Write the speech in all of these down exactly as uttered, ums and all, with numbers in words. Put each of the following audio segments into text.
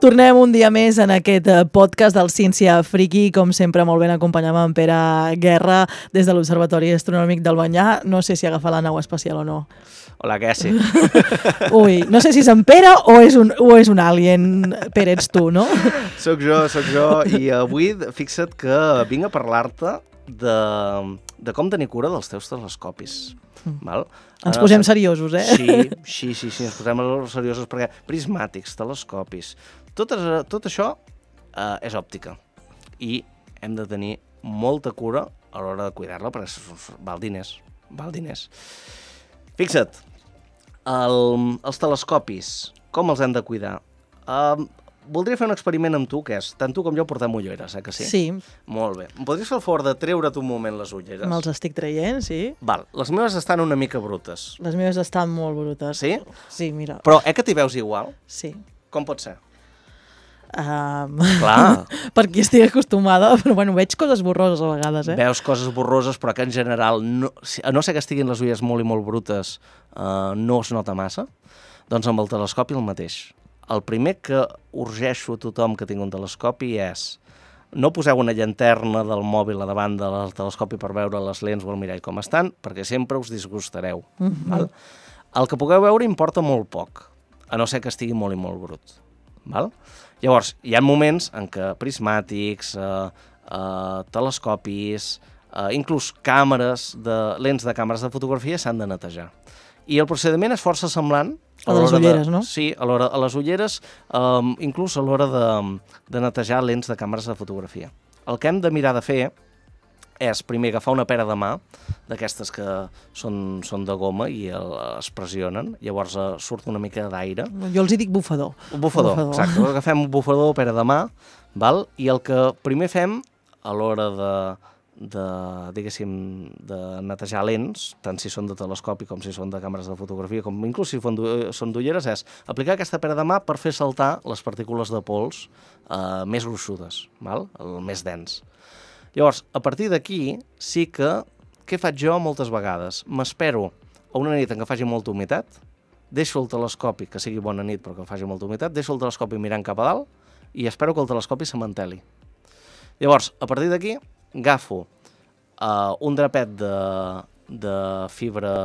Tornem un dia més en aquest podcast del Ciència Friki, com sempre molt ben acompanyam en Pere Guerra des de l'Observatori Astronòmic d'Albanyà. No sé si agafa la nau espacial o no. Hola, què sí? Ui, no sé si és en Pere o és un, o és un alien. Pere, ets tu, no? Soc jo, soc jo, i avui fixa't que vinc a parlar-te de, de com tenir cura dels teus telescopis. Mm. Val? Ens posem seriosos, eh? Sí, sí, sí, sí, ens posem seriosos perquè prismàtics, telescopis, tot, tot això eh, és òptica i hem de tenir molta cura a l'hora de cuidar-la perquè val diners, val diners. Fixa't, el, els telescopis, com els hem de cuidar? Uh, voldria fer un experiment amb tu, que és, tant tu com jo portem ulleres, eh, que sí? Sí. Molt bé. Em podries fer el favor de treure't un moment les ulleres? Me'ls estic traient, sí. Val, les meves estan una mica brutes. Les meves estan molt brutes. Sí? Sí, mira. Però eh que t'hi veus igual? Sí. Com pot ser? Um... Clar. Perquè estic acostumada, però bueno, veig coses borroses a vegades, eh? Veus coses borroses, però que en general, no, a no ser que estiguin les ulleres molt i molt brutes, uh, no es nota massa, doncs amb el telescopi el mateix. El primer que urgeixo a tothom que tingui un telescopi és no poseu una llanterna del mòbil a davant del telescopi per veure les lents o el mirall com estan, perquè sempre us disgustareu. Mm-hmm. Val? El que pugueu veure importa molt poc, a no ser que estigui molt i molt brut. Val? Llavors, hi ha moments en què prismàtics, eh, eh, telescopis, eh, inclús càmeres, de, lents de càmeres de fotografia s'han de netejar. I el procediment és força semblant a, a les ulleres, de, no? Sí, a, l'hora, a les ulleres, eh, inclús a l'hora de, de netejar lents de càmeres de fotografia. El que hem de mirar de fer és, primer, agafar una pera de mà, d'aquestes que són, són de goma i el, es pressionen, llavors eh, surt una mica d'aire. Jo els hi dic bufador. Un bufador, bufador. Exacte. Agafem un bufador, pera de mà, val? I el que primer fem a l'hora de, de, diguéssim, de netejar lents, tant si són de telescopi com si són de càmeres de fotografia, com inclús si són d'ulleres, és aplicar aquesta pera de mà per fer saltar les partícules de pols eh, més gruixudes, val? El més dens. Llavors, a partir d'aquí, sí que, què faig jo moltes vegades? M'espero a una nit en què faci molta humitat, deixo el telescopi, que sigui bona nit però que faci molta humitat, deixo el telescopi mirant cap a dalt i espero que el telescopi se manteli. Llavors, a partir d'aquí, agafo uh, un drapet de, de fibra,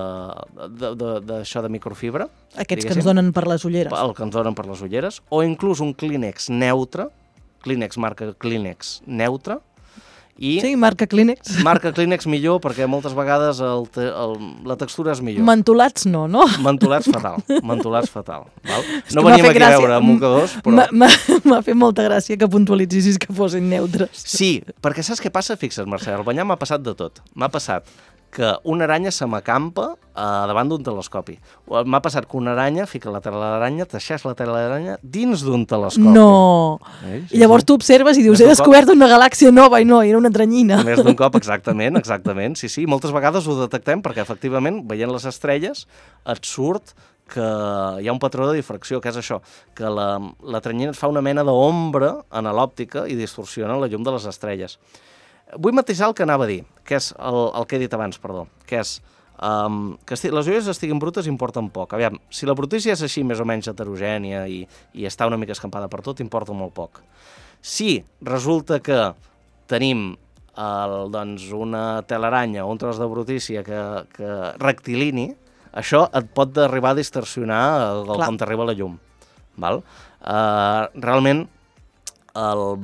d'això de, de, de microfibra. Aquests que ens donen per les ulleres. El que ens donen per les ulleres, o inclús un Kleenex neutre, Kleenex, marca Kleenex neutre, I sí, marca Kleenex. Marca Kleenex millor perquè moltes vegades el te, el, la textura és millor. Mentolats no, no? Mentolats fatal, mentolats fatal. Val? No veníem aquí gràcia. A veure mocadors, però... M'ha fet molta gràcia que puntualitzissis que fossin neutres. Sí, perquè saps què passa? Fixa't, Mercè, al banyar m'ha passat de tot. M'ha passat que una aranya se m'acampa eh, davant d'un telescopi. M'ha passat que una aranya fica la tela de l'aranya, teixeix la tela de l'aranya dins d'un telescopi. No! Eh? Sí, I llavors sí. Tu observes i dius, he descobert una galàxia nova i no, era una tranyina. Més d'un cop, exactament, exactament. Sí, sí, moltes vegades ho detectem perquè efectivament, veient les estrelles, et surt que hi ha un patró de difracció, que és això, que la, la tranyina et fa una mena d'ombra en l'òptica i distorsiona la llum de les estrelles. Vull matisar el que anava a dir, que és el, el que he dit abans, perdó, que és um, que esti, les ulleres estiguin brutes importen poc. Aviam, si la brutícia és així més o menys heterogènia i, i està una mica escampada per tot, importa molt poc. Si resulta que tenim el, doncs, una telaranya o un tros de brutícia que, que rectilini, això et pot arribar a distorsionar el, el com t'arriba la llum. Val? Uh, realment, el...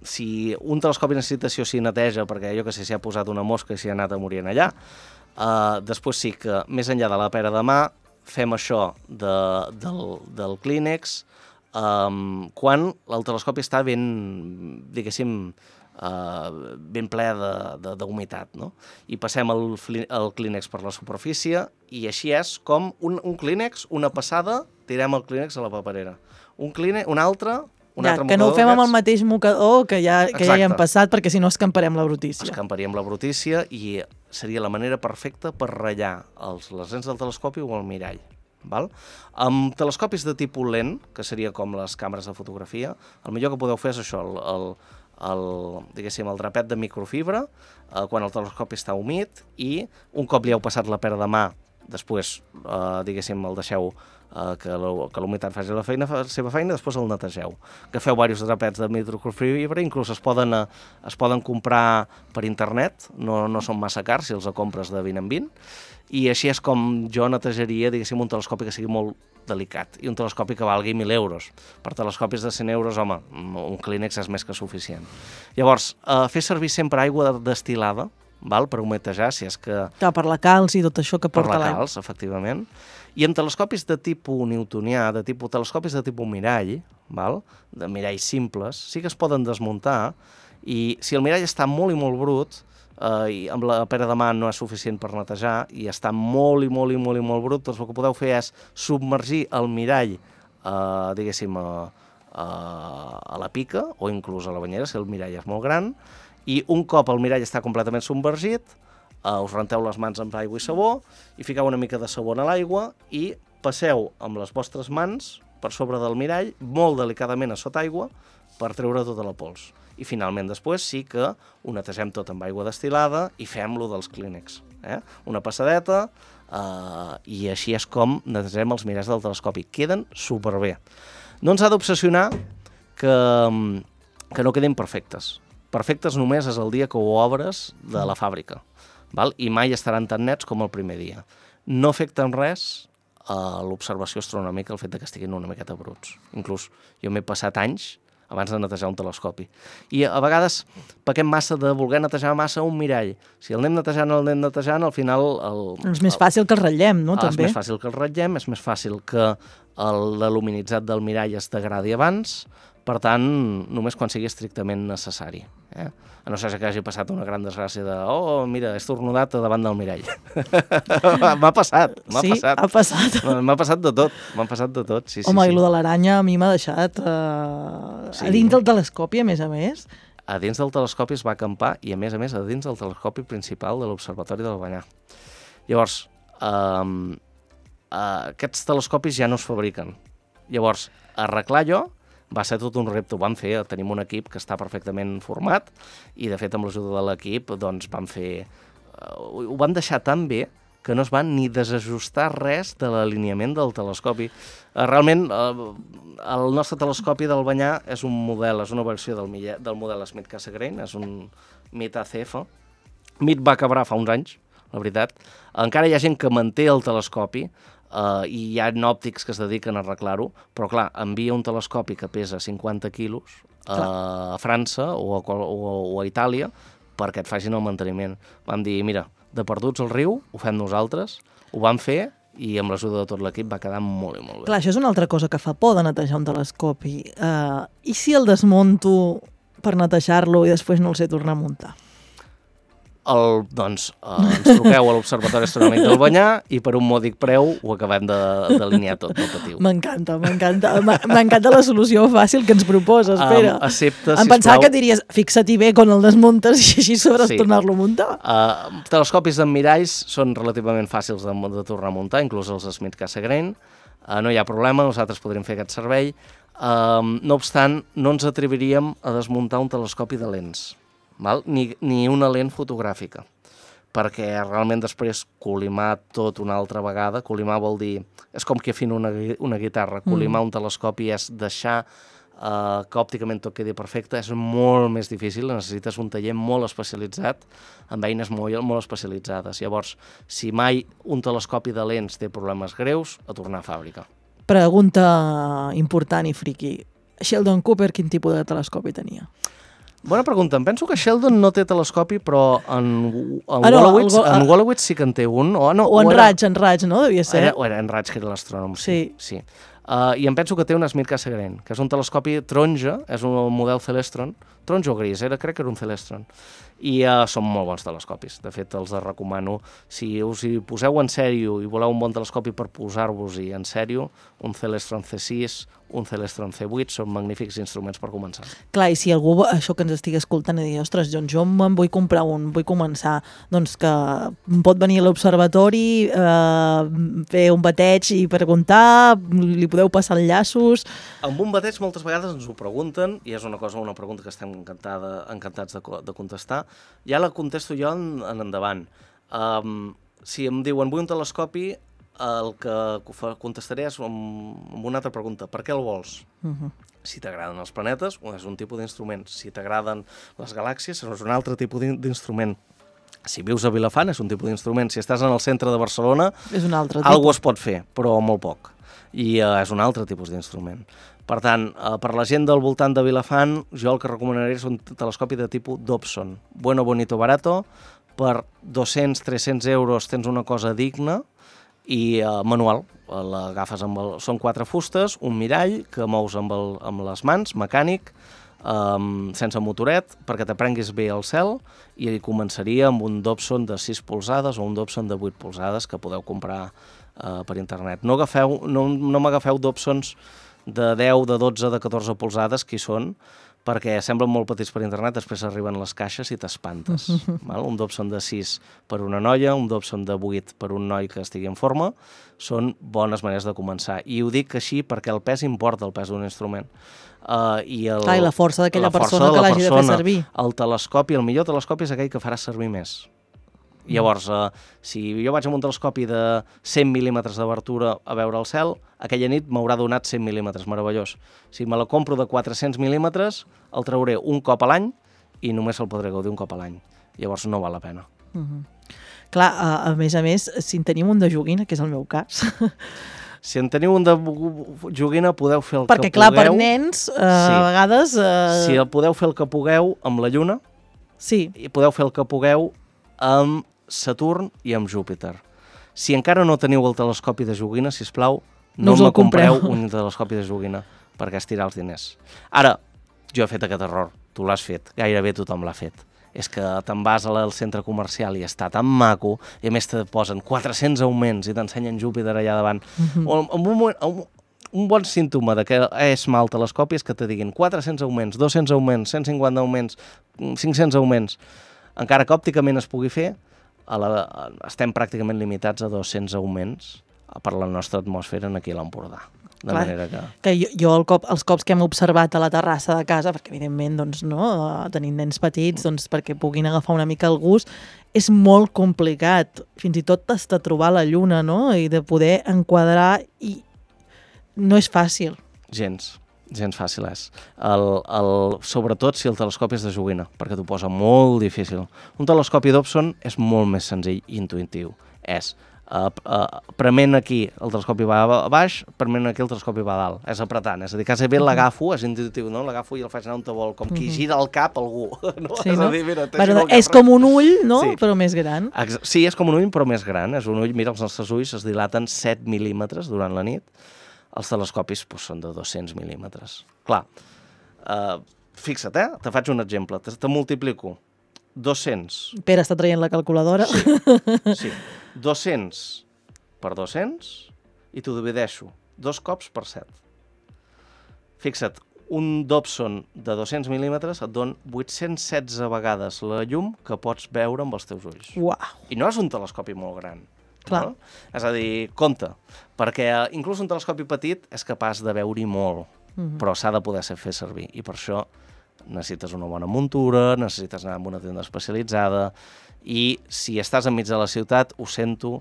si un telescopi necessita si o si neteja, perquè jo que sé, s'hi ha posat una mosca i s'hi ha anat a morir allà, uh, després sí que, més enllà de la pera de mà, fem això de, del, del Kleenex um, quan el telescopi està ben, diguéssim, uh, ben ple d'humitat, no? I passem el, el Kleenex per la superfície i així és com un, un Kleenex, una passada, tirem el Kleenex a la paperera. Un Kleenex, un altre... Ja, que no ho fem amb el mateix mocador que ja, que ja hi hem passat, perquè si no escamparem la brutícia. Escamparíem la brutícia i seria la manera perfecta per ratllar els, les lents del telescopi o el mirall. Val? Amb telescopis de tipus lent, que seria com les càmeres de fotografia, el millor que podeu fer és això, el, el, el, diguéssim, el drapet de microfibra, eh, quan el telescopi està humit, i un cop li heu passat la pera de mà, després, eh, diguéssim, el deixeu uh, que la humitat faci la feina, fa la seva feina, i després el netegeu. Agafeu diversos drapets de microfibra, inclús es poden, uh, es poden comprar per internet, no, no són massa cars si els compres de vint en vint, i així és com jo netejaria, diguéssim, un telescopi que sigui molt delicat, i un telescopi que valgui mil euros. Per telescopis de cent euros, home, un Kleenex és més que suficient. Llavors, eh, fer servir sempre aigua destil·lada, val, per humetejar, si és que... Clar, per la calç i tot això que porta l'aigua. Per la calç, efectivament. I amb telescopis de tipus newtonià, de tipus, telescopis de tipus mirall, val, de miralls simples, sí que es poden desmuntar, i si el mirall està molt i molt brut, Uh, i amb la pera de mà no és suficient per netejar i està molt i molt i molt i molt brut, doncs el que podeu fer és submergir el mirall uh, diguéssim a, a, a la pica o inclús a la banyera si el mirall és molt gran, i un cop el mirall està completament submergit, uh, us renteu les mans amb aigua i sabó i fiqueu una mica de sabó a l'aigua i passeu amb les vostres mans per sobre del mirall molt delicadament a sota aigua per treure tota la pols. I finalment després sí que ho netegem tot amb aigua destil·lada i fem-lo dels Kleenex. Eh? Una passadeta eh, i així és com netegem els miralls del telescopi. Queden superbé. No ens ha d'obsessionar que, que no quedin perfectes. Perfectes només és el dia que ho obres de la fàbrica. Val? I mai estaran tan nets com el primer dia. No afecta en res a l'observació astronòmica el fet que estiguin una miqueta bruts. Inclús jo m'he passat anys abans de netejar un telescopi. I a vegades pequem massa de voler netejar massa un mirall. Si el anem netejant, el anem netejant, al final... El, és més fàcil que el ratllem, no? Ah, també. És més fàcil que el ratllem, és més fàcil que l'aluminitzat del mirall es degradi abans, per tant, només quan sigui estrictament necessari. Eh? A no ser que hagi passat una gran desgràcia de oh, mira, he estornudat davant del mirall. M'ha passat, m'ha sí, passat. ha passat. M'ha passat de tot, m'ha passat de tot, sí, sí. Home, sí. i lo de l'aranya a mi m'ha deixat uh, sí. a dins del telescopi, a més a més. A dins del telescopi es va acampar i, a més a més, a dins del telescopi principal de l'Observatori del Banyà. Llavors, um, uh, aquests telescopis ja no es fabriquen. Llavors, arreglar allò va ser tot un repte, ho vam fer, tenim un equip que està perfectament format i de fet amb l'ajuda de l'equip doncs vam fer, uh, ho vam deixar tan bé que no es va ni desajustar res de l'alineament del telescopi. Uh, realment uh, el nostre telescopi del Banyà és un model, és una versió del, del model Smith Cassegrain, és un M I T A C F. M I T va acabar fa uns anys, la veritat. Encara hi ha gent que manté el telescopi, Uh, i hi ha òptics que es dediquen a arreglar-ho, però clar, envia un telescopi que pesa cinquanta quilos uh, a França o a, o, o a Itàlia perquè et facin el manteniment. Vam dir, mira, de perduts al riu, ho fem nosaltres, ho vam fer i amb l'ajuda de tot l'equip va quedar molt i molt bé. Clar, això és una altra cosa que fa por de netejar un telescopi. Uh, I si el desmunto per netejar-lo i després no el sé tornar a muntar? El, doncs eh, ens truqueu a l'Observatori Astronòmic del Banyà i per un mòdic preu ho acabem d'alinear tot, no patiu. M'encanta, m'encanta. M'encanta la solució fàcil que ens proposes, Pere. Um, accepta, em pensava que diries, fixa-t'hi bé quan el desmuntes i així sabràs sí. tornar-lo a muntar. Uh, telescopis amb miralls són relativament fàcils de, de tornar a muntar, inclús els Smith Cassegrain. Uh, no hi ha problema, nosaltres podríem fer aquest servei. Uh, no obstant, no ens atreviríem a desmuntar un telescopi de lents. Val? Ni, ni una lent fotogràfica, perquè realment després colimar tot una altra vegada, colimar vol dir, és com que afina una, una guitarra, colimar mm. un telescopi és deixar uh, que òpticament tot quedi perfecte, és molt més difícil, necessites un taller molt especialitzat, amb eines molt, molt especialitzades. Llavors, si mai un telescopi de lents té problemes greus, a tornar a fàbrica. Pregunta important i friqui. Sheldon Cooper, quin tipus de telescopi tenia? Bona pregunta. Em penso que Sheldon no té telescopi, però en, en, ah, no, Wolowitz, el, en Wolowitz sí que en té un. O, no, o en o era, Raig, en Raig, no? Devia ser. Era, o era en Raig, que era l'astrònom. Sí. sí. Uh, I em penso que té un Smith Cassegrain, que és un telescopi taronja, és un model Celestron, taronja o gris, era, crec que era un Celestron. I uh, són molt bons telescopis. De fet, els recomano. Si us hi poseu en sèrio i voleu un bon telescopi per posar-vos-hi en sèrio, un Celestron C sis, un Celestron C vuit, són magnífics instruments per començar. Clar, i si algú, això que ens estigui escoltant, i dir, ostres, John, jo me'n vull comprar un, vull començar, doncs que pot venir a l'observatori, eh, fer un bateig i preguntar, li podeu passar enllaços... Amb un bateig moltes vegades ens ho pregunten, i és una cosa, una pregunta que estem encantada, encantats de, de contestar. Ja la contesto jo en, en endavant. Um, si em diuen vull un telescopi, el que contestaré és amb una altra pregunta. Per què el vols? Uh-huh. Si t'agraden els planetes, és un tipus d'instrument. Si t'agraden les galàxies, és un altre tipus d'instrument. Si vius a Vilafant, és un tipus d'instrument. Si estàs en el centre de Barcelona, és un altre tipus. Algo es pot fer, però molt poc. I uh, és un altre tipus d'instrument. Per tant, uh, per la gent del voltant de Vilafant, jo el que recomanaria és un telescopi de tipus Dobson. Bueno, bonito, barato. Per dos-cents a tres-cents euros tens una cosa digna i uh, manual. L'agafes amb el... Són quatre fustes, un mirall que mous amb, el, amb les mans, mecànic, um, sense motoret, perquè t'aprenguis bé el cel, i començaria amb un Dobson de sis polzades o un Dobson de vuit polzades que podeu comprar uh, per internet. No, agafeu, no, no m'agafeu Dobsons de deu, de dotze, de catorze polzades, que hi són, perquè semblen molt petits per internet, després arriben les caixes i t'espantes. Val? Un Dobson de sis per una noia, un Dobson de vuit per un noi que estigui en forma, són bones maneres de començar. I ho dic així perquè el pes importa, el pes d'un instrument. Uh, i, el, Clar, i la força d'aquella persona de que l'hagi de fer servir. El telescopi, el millor telescopi és aquell que farà servir més. Llavors, uh, si jo vaig amb un telescopi de cent mil·límetres d'obertura a veure el cel, aquella nit m'haurà donat cent mil·límetres, meravellós. Si me la compro de quatre-cents mil·límetres, el trauré un cop a l'any i només el podré gaudir un cop a l'any. Llavors no val la pena. Uh -huh. Clar, a, a més a més, si en tenim un de joguina, que és el meu cas... Si en teniu un de joguina, podeu fer el Perquè, que clar, pugueu. Perquè, clar, per nens, uh, sí. a vegades... Uh... Si el podeu fer el que pugueu amb la Lluna, sí. i podeu fer el que pugueu amb Saturn i amb Júpiter. Si encara no teniu el telescopi de joguina, sisplau, no, no me compreu un telescopi de joguina, perquè estirar els diners. Ara, jo he fet aquest error, tu l'has fet, gairebé tothom l'ha fet. És que te'n vas al centre comercial i està tan maco, i a més te posen quatre-cents augments i t'ensenyen Júpiter allà davant. Mm-hmm. o, un, moment, un, un bon símptoma de que és mal telescopi és que te diguin quatre-cents augments, dos-cents augments, cent cinquanta augments, cinc-cents augments. Encara que òpticament es pugui fer, a la, estem pràcticament limitats a dos-cents augments per la nostra atmosfera aquí a l'Empordà. De Clar, manera que... que jo, jo el cop, els cops que hem observat a la terrassa de casa, perquè evidentment doncs, no, tenint nens petits doncs, perquè puguin agafar una mica el gust, és molt complicat, fins i tot hasta trobar la lluna, no? I de poder enquadrar, i no és fàcil. Gens, gens fàcil és. El, el, sobretot si el telescopi és de joguina, perquè t'ho posa molt difícil. Un telescopi Dobson és molt més senzill i intuïtiu. És... Uh, uh, prement aquí el telescopi va a baix, prement aquí el telescopi va a dalt, és apretant, és a dir, quasi bé l'agafo, és intuïtiu, no? L'agafo i el faig anar on te vol, com qui gira el cap algú, no? Sí, és no? a dir, mira, bueno, és com un ull, no? Sí. Però més gran. Ex sí, és com un ull, però més gran, és un ull, mira, els nostres ulls es dilaten set mil·límetres durant la nit, els telescopis pues, són de dos-cents mil·límetres. Clar, uh, fixa't, eh? Te faig un exemple, te, te multiplico. dos-cents. Pere està traient la calculadora. Sí, sí. dos-cents per dos-cents i t'ho divideixo dos cops per set. Fixa't, un Dobson de dos-cents mil·límetres et don vuit-cents setze vegades la llum que pots veure amb els teus ulls. Uau! I no és un telescopi molt gran. Clar. No? És a dir, compte, perquè inclús un telescopi petit és capaç de veure-hi molt, mm-hmm. però s'ha de poder fer servir, i per això necessites una bona muntura, necessites anar a una tenda especialitzada, i si estàs enmig de la ciutat, ho sento,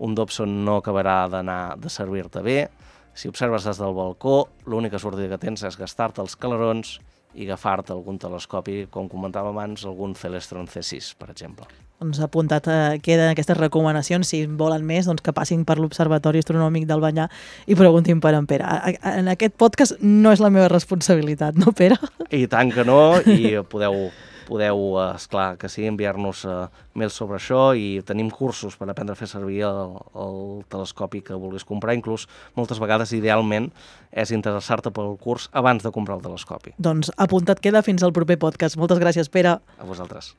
un Dobson no acabarà d'anar de servir-te bé. Si observes des del balcó, l'única sortida que tens és gastar-te els calarons i agafar-te algun telescopi, com comentava abans, algun Celestron C sis, per exemple. Doncs apuntat eh, queden aquestes recomanacions, si volen més, doncs que passin per l'Observatori Astronòmic d'Albanyà i preguntin per en Pere. En aquest podcast no és la meva responsabilitat, no, Pere? I tant que no, i podeu, podeu esclar, que sí, enviar-nos uh, mails sobre això, i tenim cursos per aprendre a fer servir el, el telescopi que vulguis comprar. Inclús, moltes vegades, idealment, és interessar-te pel curs abans de comprar el telescopi. Doncs apuntat queda, fins al proper podcast. Moltes gràcies, Pere. A vosaltres.